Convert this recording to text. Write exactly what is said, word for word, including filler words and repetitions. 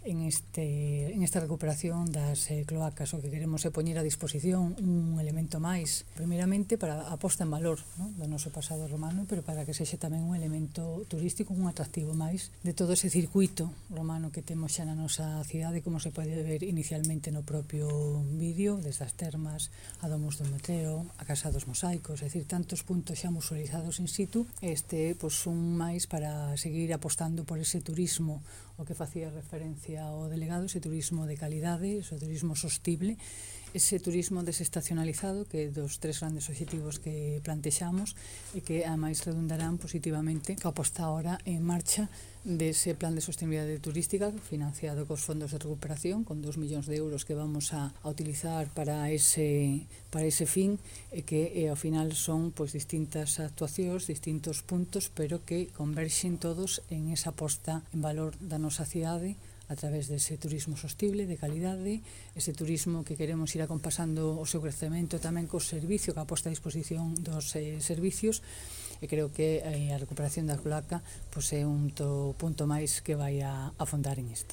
en, este, en esta recuperación das eh, cloacas. O que queremos é poñer a disposición un elemento máis, primeiramente para a posta en valor, ¿no?, do noso pasado romano, pero para que sexa tamén un elemento turístico, un atractivo máis de todo ese circuito romano que temos xa na nosa cidade, como se pode ver inicialmente no propio vídeo, desde as termas, a Domus do Metreo, a Casa dos Mosaicos, é dicir, tantos puntos xa musealizados in situ. Este, pois, un máis para seguir apostando por ese turismo, o que facía referencia ao delegado, ese turismo de calidade, ese turismo sostible, ese turismo desestacionalizado, que é dos tres grandes obxectivos que plantexamos e que ademais redundarán positivamente coa posta ahora en marcha dese plan de sostenibilidade turística financiado cos fondos de recuperación, con dos millóns de euros que vamos a, a utilizar para ese, para ese fin, e que e, ao final son, pois, distintas actuacións, distintos puntos, pero que converxen todos en esa posta en valor da nosa cidade a través dese turismo sostible, de calidade, ese turismo que queremos ir acompasando o seu crecemento tamén co servicio, que a posta a disposición dos eh, servicios, e creo que eh, a recuperación da cloaca, pois, é un to, punto máis que vai a afondar en isto.